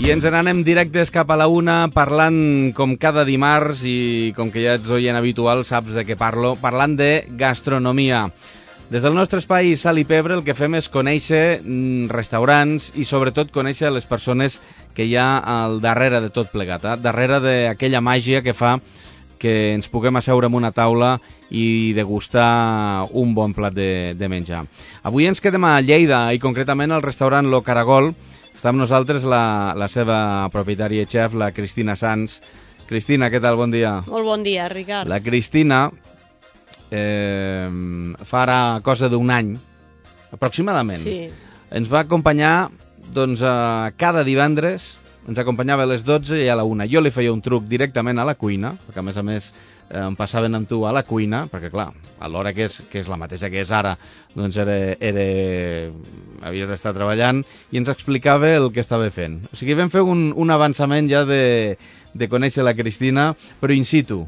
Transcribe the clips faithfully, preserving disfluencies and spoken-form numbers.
I ens n'anem directes cap a la una, parlant com cada dimarts, i com que ja ets oient habitual, saps de què parlo, parlant de gastronomia. Des del nostre espai Sal i Pebre el que fem és conèixer restaurants i sobretot conèixer les persones que hi ha al darrere de tot plegat, eh? Darrere d'aquella màgia que fa que ens puguem asseure en una taula i degustar un bon plat de, de menjar. Avui ens quedem a Lleida i concretament al restaurant Lo Caragol. Està amb nosaltres la, la seva propietària i xef, la Cristina Sans. Cristina, què tal? Bon dia. Molt bon dia, Ricard. La Cristina eh, fa ara cosa d'un any, aproximadament. Sí. Ens va acompanyar doncs, a cada divendres, ens acompanyava a les dotze i a la una. Jo li feia un truc directament a la cuina, perquè a més a més eh, em passaven amb tu a la cuina, perquè clar, a l'hora que és, que és la mateixa que és ara, doncs era, era... havies d'estar treballant, i ens explicava el que estava fent. O sigui, vam fer un, un avançament ja de, de conèixer la Cristina, però in situ.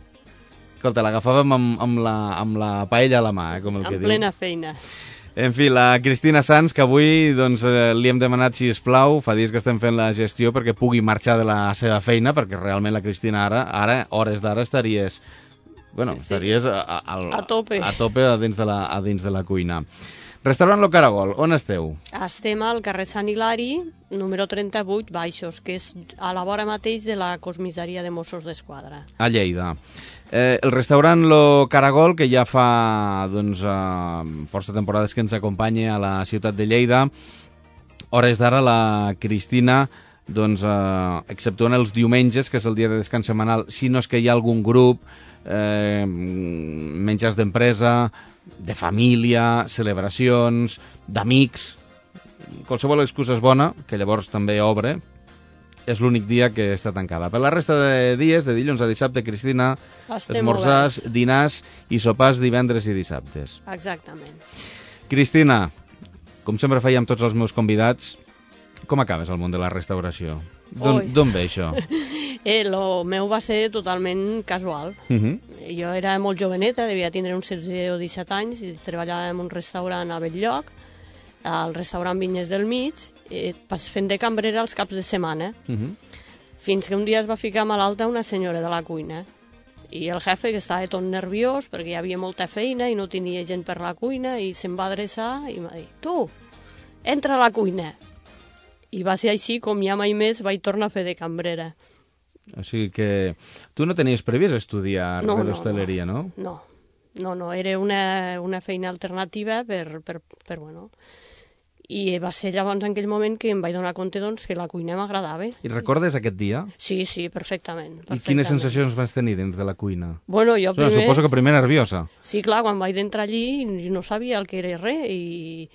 Escolta, l'agafàvem amb, amb, la, amb la paella a la mà, eh, com el que diu. En plena feina. En fi, la Cristina Sans, que avui doncs, eh, li hem demanat, si es plau, fa dies que estem fent la gestió perquè pugui marxar de la seva feina, perquè realment la Cristina ara, ara hores d'ara, estaries... Bueno, sí, sí. estaries a, a, a, a tope, a, tope a, dins de la, a dins de la cuina. Restaurant Lo Caragol, on esteu? Estem al carrer Sant Hilari, número trenta-vuit, Baixos, que és a la vora mateix de la comissaria de Mossos d'Esquadra. A Lleida. Eh, el restaurant Lo Caragol, que ja fa doncs, eh, força temporades que ens acompanya a la ciutat de Lleida, hores d'ara la Cristina, doncs, eh, exceptuant els diumenges, que és el dia de descans setmanal, si no és que hi ha algun grup, eh, menjars d'empresa, de família, celebracions, d'amics, qualsevol excusa és bona, que llavors també obre, és l'únic dia que està tancada. Per la resta de dies, de dilluns a dissabte, Cristina, Estem esmorzars, oberts. dinars i sopars divendres i dissabtes. Exactament. Cristina, com sempre feia amb tots els meus convidats, com acabes al món de la restauració? D'on ve això? Eh, lo meu va ser totalment casual. Uh -huh. Jo era molt joveneta, devia tindre uns setze o disset anys, i treballava en un restaurant a Belllloc, al restaurant Vinyes del Mig, eh, fent de cambrera els caps de setmana. Uh -huh. Fins que un dia es va ficar malalta una senyora de la cuina. I el jefe, que estava tot nerviós, perquè hi havia molta feina i no tenia gent per la cuina, i se'm va adreçar i m'ha dit: tu, entra a la cuina. I va ser així com ja mai més vaig tornar a fer de cambrera. O sigui que tu no tenies previst estudiar no, res no, d'hostaleria, no? No, no, no, era una, una feina alternativa per, per, per, bueno... I va ser llavors en aquell moment que em vaig donar compte doncs, que la cuina m'agradava. I recordes aquest dia? Sí, sí, perfectament. perfectament. I quines sensacions vas tenir dins de la cuina? Bueno, jo primer... No, suposo que primer nerviosa. Sí, clar, quan vaig entrar allí no sabia el que era res, i...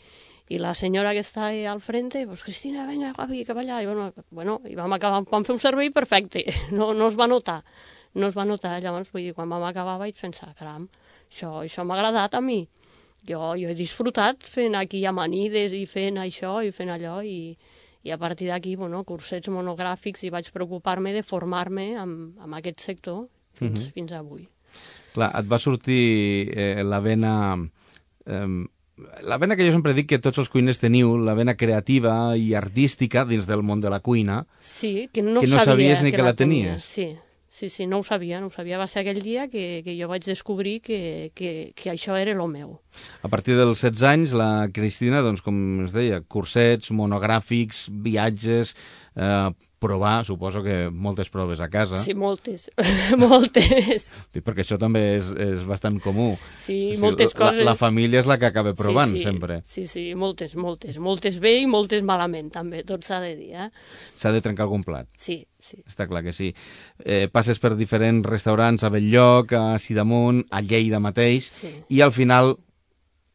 I la senyora que està al frente, pues, Cristina, venga, guapi, cap allà. I, bueno, bueno, i vam acabar, vam fer un servei perfecte. No, no es va notar. No es va notar. Llavors, vull dir, quan vam acabar vaig pensar, caram, això, això m'ha agradat a mi. Jo, jo he disfrutat fent aquí amanides i fent això i fent allò, i, i a partir d'aquí, bueno, cursets monogràfics, i vaig preocupar-me de formar-me amb, amb aquest sector fins, uh-huh. fins avui. Clar, et va sortir eh, la vena... Eh, La vena que jo sempre dic que tots els cuiners teniu, la vena creativa i artística dins del món de la cuina, sí, que no, que no sabia sabies ni que, que la la tenia. tenies. Sí, sí, sí, no ho sabia, no ho sabia. Va ser aquell dia que, que jo vaig descobrir que, que, que això era el meu. A partir dels setze anys, la Cristina, doncs, com es deia, cursets, monogràfics, viatges, eh, provar, suposo que moltes proves a casa. Sí, moltes, moltes. Sí, perquè això també és, és bastant comú. Sí, o sigui, moltes la, coses... La família és la que acaba provant, sí, sí, sempre. Sí, sí, moltes, moltes. Moltes bé i moltes malament, també, tot s'ha de dir, eh? S'ha de trencar algun plat. Sí, sí. Està clar que sí. Eh, passes per diferents restaurants a Belllloc, a Sidamon, a Lleida mateix, sí. I al final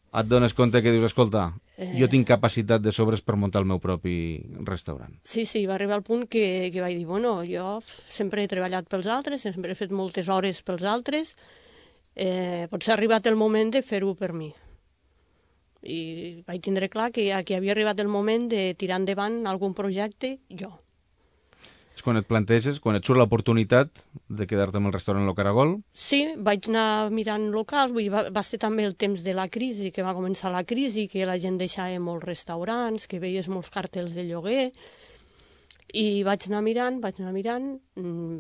et dones compte que dius, escolta, eh... jo tinc capacitat de sobres per muntar el meu propi restaurant. Sí, sí, va arribar al punt que, que vaig dir, bueno, jo sempre he treballat pels altres, sempre he fet moltes hores pels altres, eh, potser ha arribat el moment de fer-ho per mi. I vaig tindre clar que, que havia arribat el moment de tirar endavant algun projecte jo. O És quan et planteges, quan et surt l'oportunitat de quedar-te amb el restaurant Lo Caragol? Sí, vaig anar mirant locals, vull dir, va, va ser també el temps de la crisi, que va començar la crisi, que la gent deixava molts restaurants, que veies molts cartells de lloguer, i vaig anar mirant, vaig anar mirant,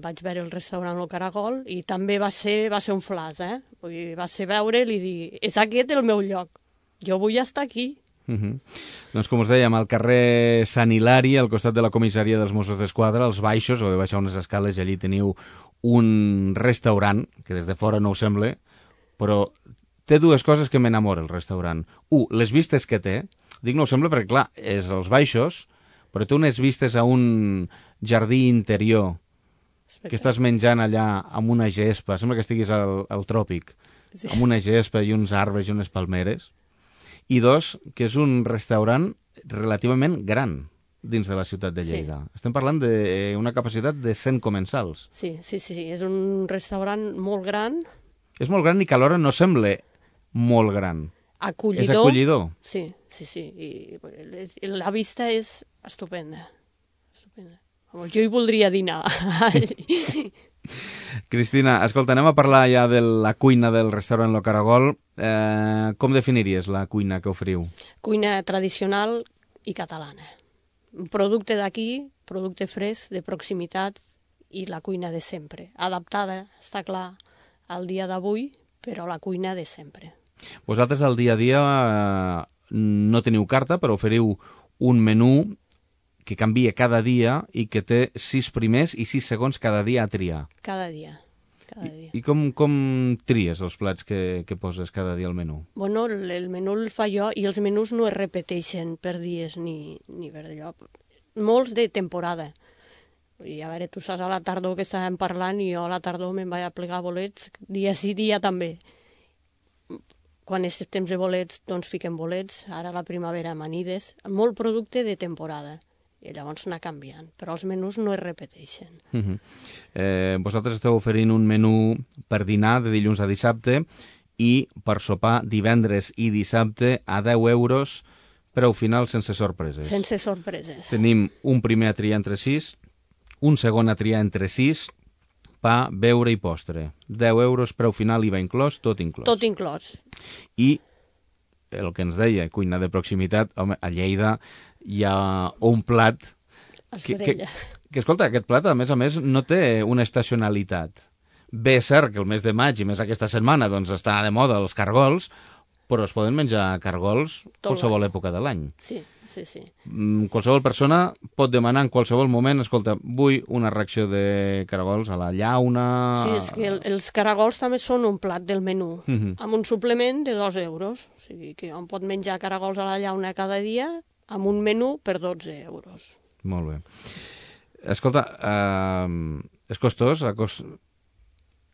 vaig veure el restaurant Lo Caragol, i també va ser, va ser un flash, eh? Vull dir, va ser veure'l i dir, és aquest el meu lloc, jo vull estar aquí. Uh -huh. Doncs com us dèiem, al carrer Sant Hilari, al costat de la comissaria dels Mossos d'Esquadra, als baixos, heu de baixar unes escales i allí teniu un restaurant, que des de fora no ho sembla, però té dues coses que m'enamora el restaurant. Un, les vistes que té. Dic no ho sembla perquè, clar, és als baixos, però té unes vistes a un jardí interior, que estàs menjant allà amb una gespa, sembla que estiguis al, al tròpic, sí. Amb una gespa i uns arbres i unes palmeres. I dos, que és un restaurant relativament gran dins de la ciutat de Lleida. Sí. Estem parlant d'una capacitat de cent comensals. Sí, sí, sí, és un restaurant molt gran. És molt gran i que alhora no sembla molt gran. Acollidor. És acollidor. Sí, sí, sí. I la vista és estupenda. Estupenda. Jo hi voldria dinar. Cristina, escolta, anem a parlar ja de la cuina del restaurant Lo Caragol. Eh, com definiries la cuina que oferiu? Cuina tradicional i catalana. Un producte d'aquí, producte fresc, de proximitat, i la cuina de sempre. Adaptada, està clar, al dia d'avui, però la cuina de sempre. Vosaltres al dia a dia eh, no teniu carta, però oferiu un menú que canvia cada dia i que té sis primers i sis segons cada dia a triar. Cada dia. Cada dia. I, i com, com tries els plats que, que poses cada dia al menú? Bueno, el, el menú el fa jo i els menús no es repeteixen per dies ni, ni per allò. Molts de temporada. I a veure, tu saps a la tardor que estàvem parlant i jo a la tardor me'n vaig a plegar bolets dia sí, dia també. Quan és temps de bolets, doncs fiquem bolets. Ara a la primavera amanides. Molt producte de temporada. I llavors anar canviant, però els menús no es repeteixen. Uh -huh. eh, vosaltres esteu oferint un menú per dinar de dilluns a dissabte i per sopar divendres i dissabte a deu euros, preu final sense sorpreses. Sense sorpreses. Tenim un primer a triar entre sis, un segon a triar entre sis, pa, beure i postre. deu euros, preu final, I V A inclòs, tot inclòs. Tot inclòs. I el que ens deia, cuina de proximitat, home, a Lleida hi ha un plat que, que, que, escolta, aquest plat, a més a més, no té una estacionalitat. Bé, és cert que el mes de maig i més aquesta setmana doncs està de moda els cargols, però es poden menjar cargols Tot qualsevol l'any. època de l'any. Sí, sí, sí. Mm, qualsevol persona pot demanar en qualsevol moment, escolta, vull una ració de cargols a la llauna... Sí, és que el, els caragols també són un plat del menú, uh -huh. amb un suplement de dos euros. O sigui que on pot menjar caragols a la llauna cada dia amb un menú per dotze euros. Molt bé. Escolta, eh, és costós cost...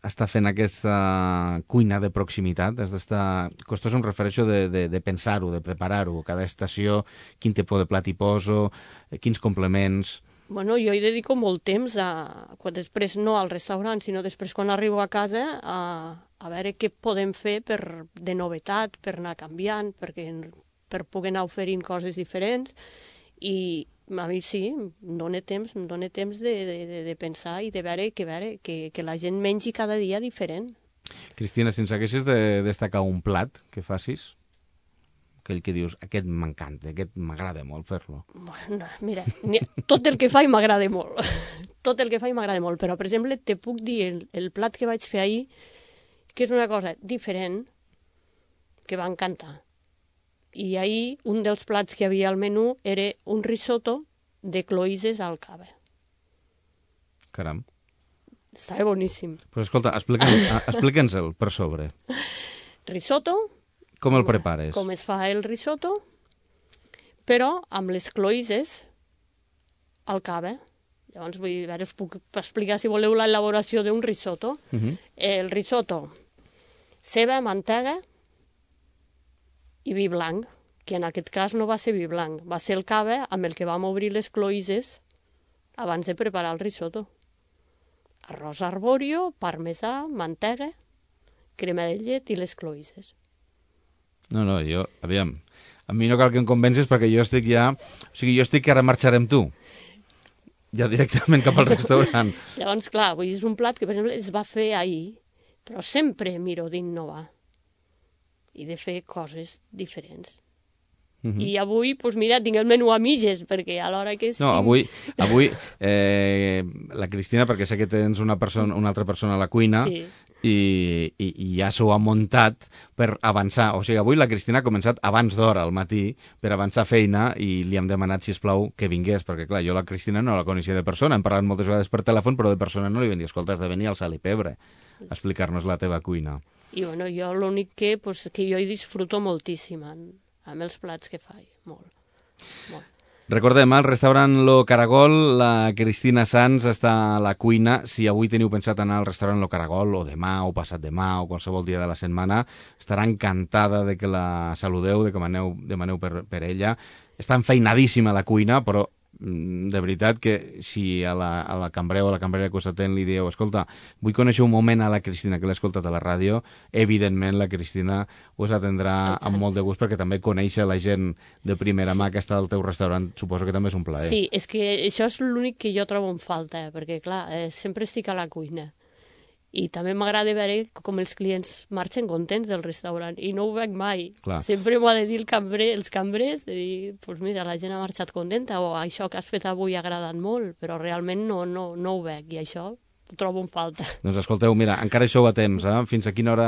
estar fent aquesta cuina de proximitat? Has d'estar... Costós em refereixo de, de, de pensar-ho, de preparar-ho. Cada estació, quin tipus de plat hi poso, quins complements... Bueno, jo hi dedico molt temps a... Quan després no al restaurant, sinó després quan arribo a casa a, a veure què podem fer per, de novetat, per anar canviant, perquè... per poder anar oferint coses diferents, i a mi sí, em dóna temps, em dóna temps de, de, de pensar i de veure que, veure que, que la gent mengi cada dia diferent. Cristina, si ens haguessis de destacar un plat que facis, aquell que dius, aquest m'encanta, aquest m'agrada molt fer-lo. Bueno, mira, tot el que faig m'agrada molt, tot el que faig m'agrada molt, però, per exemple, te puc dir el, el plat que vaig fer ahir, que és una cosa diferent, que va encantar. I ahir un dels plats que hi havia al menú era un risotto de cloïsses al cava. Caram. Estava boníssim. Pues escolta, explica'ns-el explica per sobre. Risotto. Com el prepares? Com es fa el risotto, però amb les cloïsses al cava. Llavors, vull veure, us puc explicar, si voleu, l'elaboració d'un risotto. Uh -huh. El risotto, ceba, mantega i vi blanc, que en aquest cas no va ser vi blanc, va ser el cava amb el que vam obrir les cloïsses abans de preparar el risotto. Arròs arbòrio, parmesà, mantega, crema de llet i les cloïsses. No, no, jo, aviam, a mi no cal que em convencis perquè jo estic ja... O sigui, jo estic que ara marxaré amb tu. Ja directament cap al restaurant. Llavors, clar, avui és un plat que, per exemple, es va fer ahir, però sempre miro d'innovar i de fer coses diferents. Uh-huh. I avui, doncs mira, tinc el menú a mitges, perquè a l'hora que estic... No, avui, avui eh, la Cristina, perquè sé que tens una, persona, una altra persona a la cuina, sí. i, i, i ja s'ho ha muntat per avançar. O sigui, avui la Cristina ha començat abans d'hora al matí per avançar feina i li hem demanat, sisplau, que vingués, perquè clar, jo la Cristina no la coneixia de persona, hem parlat moltes vegades per telèfon, però de persona no li vam dir, escolta, has de venir al Sal i Pebre sí. a explicar-nos la teva cuina. I bueno, jo l'únic que, pues, que jo hi disfruto moltíssim en, amb els plats que faig, molt, molt. Recordem, al restaurant Lo Caragol, la Cristina Sanz està a la cuina. Si avui teniu pensat anar al restaurant Lo Caragol, o demà, o passat demà, o qualsevol dia de la setmana, estarà encantada de que la saludeu, de que demaneu, demaneu per, per ella. Està enfeinadíssima a la cuina, però de veritat que si a la, a la cambrer o a la cambrera que us atén li dieu, escolta, vull conèixer un moment a la Cristina, que l'he escoltat a la ràdio, evidentment la Cristina us atendrà amb molt de gust, perquè també conèixer la gent de primera sí. mà que està al teu restaurant, suposo que també és un plaer. Sí, és que això és l'únic que jo trobo en falta, perquè clar, eh, sempre estic a la cuina. I també m'agrada veure com els clients marxen contents del restaurant, i no ho veig mai. Clar. Sempre m'ho ha de dir el cambrer, els cambrers, de dir, pues mira, la gent ha marxat contenta, o això que has fet avui ha agradat molt, però realment no, no, no ho veig, i això ho trobo en falta. Doncs escolteu, mira, encara hi sou a temps, eh? Fins a quina hora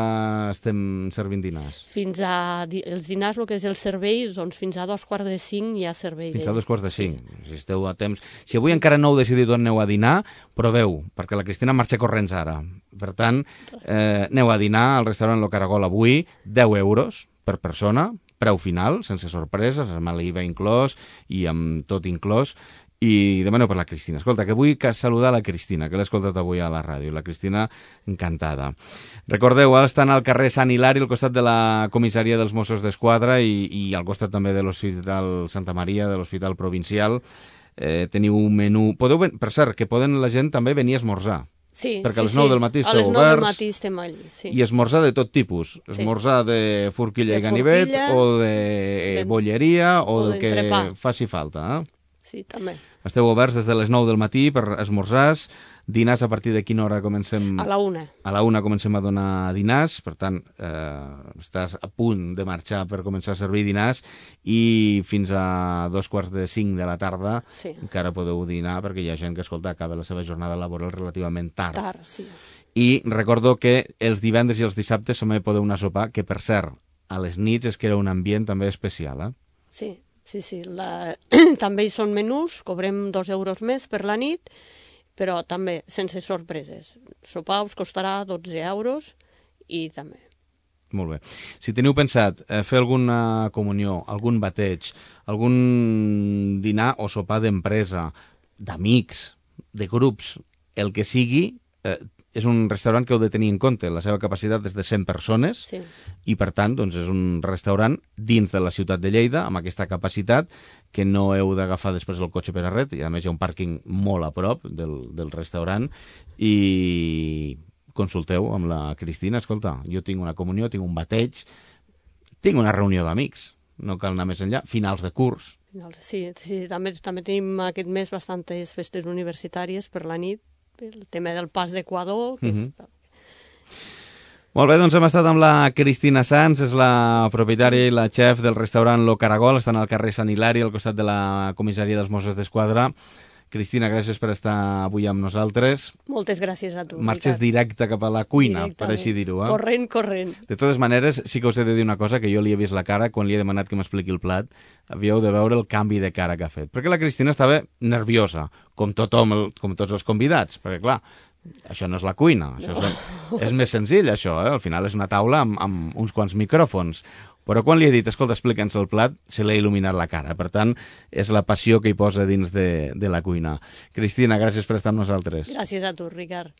estem servint dinars? Fins a els dinars, el que és el servei, doncs fins a dos quarts de cinc hi ha servei. Fins a dos quarts de cinc, sí. Si esteu a temps. Si avui encara no heu decidit on aneu a dinar, proveu, perquè la Cristina marxa corrents ara. Per tant, eh, aneu a dinar al restaurant Lo Caragol avui, deu euros per persona, preu final, sense sorpreses, amb l'I V A inclòs i amb tot inclòs, i demaneu per la Cristina. Escolta, que vull que saludar la Cristina, que l'he escoltat avui a la ràdio. La Cristina, encantada. Recordeu, ara estan al carrer Sant Hilari, al costat de la comissaria dels Mossos d'Esquadra i, i al costat també de l'Hospital Santa Maria, de l'Hospital Provincial. Eh, teniu un menú... Podeu, per cert, que poden la gent també venir a esmorzar. Sí, perquè sí, a les nou sí. del matí a esteu les nou oberts del matí estem allí, sí. I esmorzar de tot tipus, esmorzar sí. de forquilla de i ganivet forquilla, o de, de bolleria o, o del que faci falta. Eh? Sí, també. Esteu oberts des de les nou del matí per esmorzars, dinars a partir de quina hora comencem? A la una. A la una comencem a donar dinars, per tant, eh, estàs a punt de marxar per començar a servir dinars i fins a dos quarts de cinc de la tarda sí. encara podeu dinar perquè hi ha gent que, escolta, acaba la seva jornada laboral relativament tard. Tard, sí. I recordo que els divendres i els dissabtes també podeu anar a sopar, que per cert, a les nits es crea un ambient també especial, eh? Sí. Sí, sí, la... també hi són menús, cobrem dos euros més per la nit, però també sense sorpreses. Sopar us costarà dotze euros i també. Molt bé. Si teniu pensat eh, fer alguna comunió, algun bateig, algun dinar o sopar d'empresa, d'amics, de grups, el que sigui, eh, és un restaurant que heu de tenir en compte. La seva capacitat és de cent persones sí. i, per tant, doncs, és un restaurant dins de la ciutat de Lleida, amb aquesta capacitat, que no heu d'agafar després el cotxe per a res, i a més hi ha un pàrquing molt a prop del, del restaurant, i consulteu amb la Cristina, escolta, jo tinc una comunió, tinc un bateig, tinc una reunió d'amics, no cal anar més enllà, finals de curs. Sí, sí també, també tenim aquest mes bastantes festes universitàries per la nit, el tema del pas d'Equador. Que uh-huh. és... Molt bé, doncs hem estat amb la Cristina Sanz, és la propietària i la xef del restaurant Lo Caragol, estan al carrer Sant Hilari, al costat de la comissaria dels Mossos d'Esquadra. Cristina, gràcies per estar avui amb nosaltres. Moltes gràcies a tu. Marxes directe cap a la cuina, per així dir-ho. Eh? Corrent, corrent. De totes maneres, sí que us he de dir una cosa, que jo li he vist la cara quan li he demanat que m'expliqui el plat. Havíeu de veure el canvi de cara que ha fet. Perquè la Cristina estava nerviosa, com tothom, el, com tots els convidats. Perquè, clar, això no és la cuina. Això no. és, és més senzill, això. Eh? Al final és una taula amb, amb uns quants micròfons. Però quan li he dit, escolta, explica'ns el plat, se l'ha il·luminat la cara. Per tant, és la passió que hi posa dins de, de la cuina. Cristina, gràcies per estar amb nosaltres. Gràcies a tu, Ricard.